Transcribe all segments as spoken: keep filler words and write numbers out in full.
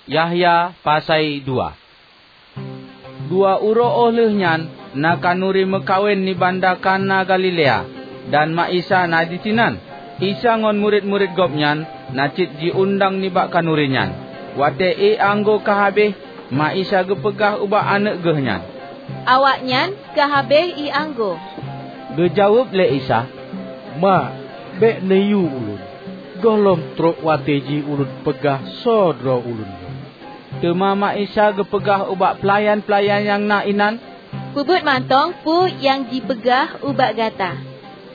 Yahya pasai dua. Dua uroe óh lheueh nyan na khanuri meukawen di banda Kana Galilea, dan ma Isa na disinan. Isa ngon murit-murit Gobnyan na cit jiundang nibak khanuri nyan. Watée ié anggô ka habéh, ma Isa geupeugah ubak aneuëk geuh nyan, "Awaknyan ka habéh ié anggô." Geujaweueb lé Isa, "Ma, bék neuyue ulôn. Gohlom trok watée jih ulôn peugah soe droe ulôn nyoe." Teuma ma Isa geupeugah ubak peulayan-peulayan nyang na inan, "Peubuet mantong peue nyang jipeugah ubak gata."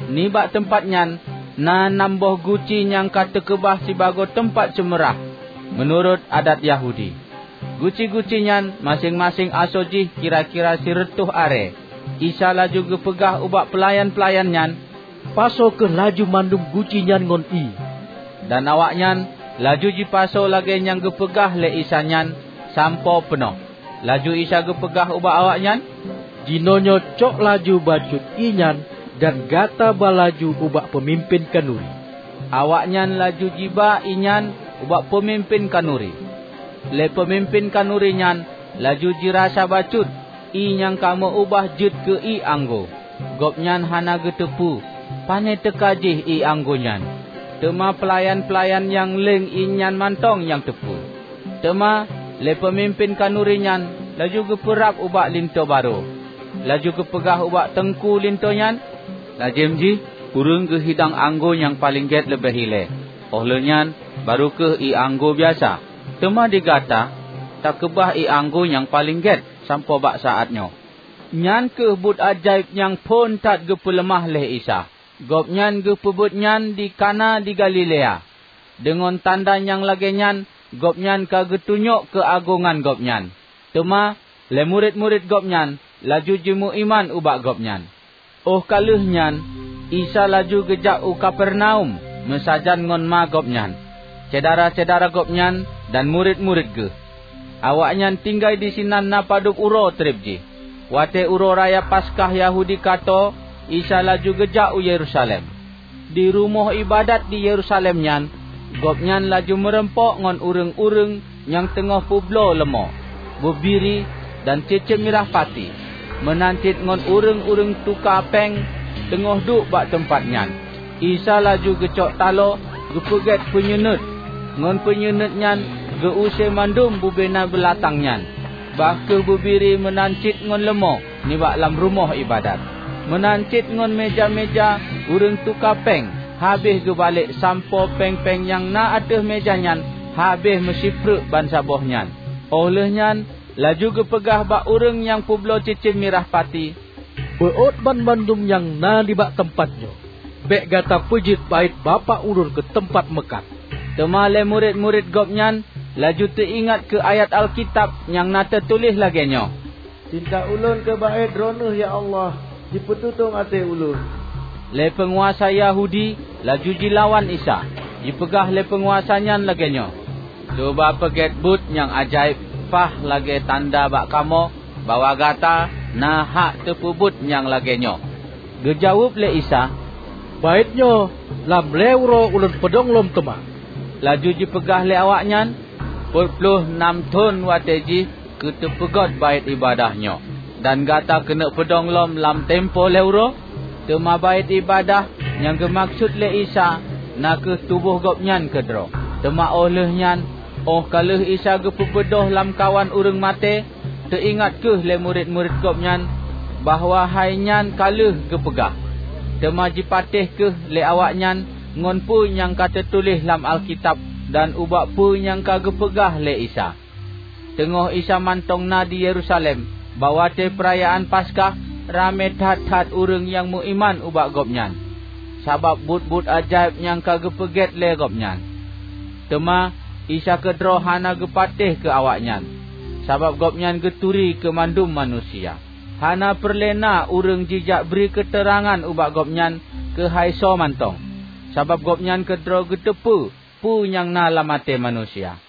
Nibak teumpat nyan na nam boh guci nyang ka teukeubah sibagoe teumpat seumeurah, meunurot adat Yahudi. Guci-guci nyan maséng-maséng asoe jih kira-kira sireutôh arée. Isa laju geupeugah ubak peulayan-peulayan nyan, "Pasoe kheueh laju mandum guci nyan ngon ié." Dan awaknyan laju jipasoe lagée nyang geupeugah lé Isa nyan sampoe peunoh. Laju Isa geupeugah ubak awaknyan, "Jinoenyoe cok laju bacut ié nyan dan gata ba laju ubak peumimpén khanuri." Awaknyan laju jiba ié nyan ubak peumimpén khanuri. Lé peumimpén khanuri nyan laju jirasa bacut ié nyang ka meu-ubah jeuet keu ié anggô. Gobnyan hana geuteupeue pane teuka jih ié anggô nyan, teuma peulayan-peulayan nyang leng ié nyan mantong nyang teupeue. Teuma lé peumimpén khanuri nyan laju geupeurab ubak linto barô, laju geupeugah ubak teungku linto nyan, "Lazem jih ureuëng geuhidang anggô nyang paleng gét leubeh ilée, óh lheueh nyan barô kheueh ié anggô biasa. Teuma di gata takeubah ié anggô nyang paleng gét sampoe bak saát nyoe." Nyan kheueh buet ajaéb nyang phon that geupeuleumah lé Isa. Gobnyan geupeubuet nyan di Kana di Galilea. Deungon tanda nyang lagée nyan Gobnyan ka geutunyok keuagongan Gobnyan. Teuma lé murit-murit Gobnyan laju jimeuiman ubak Gobnyan. Óh ka lheueh nyan, Isa laju geujak u Kapernaum meusajan ngon ma Gobnyan, syedara-syedara Gobnyan dan murit-murit Geuh. Awaknyan tinggai disinan na padub uroe treb jih. Watée uroe raya Paskah Yahudi ka tô, Isa laju geujak u Yerusalem. Di rumoh iébadat di Yerusalem nyan, Gobnyan laju meurumpok ngon ureuëng-ureuëng nyang teungoh peubloe leumô, beubiri, dan ceuceuem mirah pati, meunan cit ngon ureuëng-ureuëng tuka péng teungoh duek bak teumpat nyan. Isa laju geucok taloe geupeugét peunyuenuet, ngon peunyuenuet nyan geu-use mandum bubena beulatang nyan, bah kheueh beubiri meunan cit ngon leumô nibak lam rumoh iébadat. Meunan cit ngon méja-méja ureuëng tuka péng habéh geubalek sampoe péng-péng nyang na ateueh méja nyan habéh meusipreuk bansaboh nyan. Óh lheueh nyan laju geupeugah bak ureuëng nyang peubloe ceuceuem mirah pati, "Beuôt banmandum nyang na nibak teumpat nyoe. Bék gata peujeuet baét Bapak ulôn keu teumpat meukat." Teuma lé murit-murit Gobnyan laju teuingat keu ayat Alkitab nyang na teutuléh lagée nyoe, "Cinta ulôn keu baét Droeneueh, ya Allah, jipeututong até ulôn." Lé peunguasa Yahudi laju jilawan Isa. Jipeugah lé peunguasa nyan lagée nyoe, "Cuba peugét buet nyang ajaéb paih lagée tanda bak kamoe bahwa gata na hak teupeubuet nyang lagée nyoe." Geujaweueb lé Isa, "Baét nyoe lam lhée uroe ulôn peudong lom teuma." Laju jipeugah lé awaknyan, "Peuet ploh nam thon watée jih keu teupeugét baét iébadat nyoe, dan gata keuneuk peudong lom lam tempo lhée uroe?" Teuma baét iébadat nyang geumaksut lé Isa na kheueh tuboh Gobnyan keudroe. Teuma óh lheueh nyan, óh ka lheueh Isa geupeubeudôh lamkawan ureuëng maté, teuingat kheueh lé murit-murit Gobnyan bahwa hai nyan ka lheueh geupeugah. Teuma jipatéh kheueh lé awaknyan ngon peue nyang ka teutuléh lam Alkitab dan ubak peue nyang ka geupeugah lé Isa. Teungoh Isa mantong na di Yerusalem, bak watée peurayaan Paskah, ramé that-that ureuëng nyang meuiman ubak Gobnyan, sabab buet-buet ajaéb nyang ka geupeugét lé Gobnyan. Teuma Isa keudroe hana geupatéh keu awaknyan, sabab Gobnyan geuturi keu mandum manusia. Hana peureulée na ureuëng jijak bri keuteurangan ubak Gobnyan keuhai soe mantong, sabab Gobnyan keudroe geuteupeue peue nyang na lam até manusia.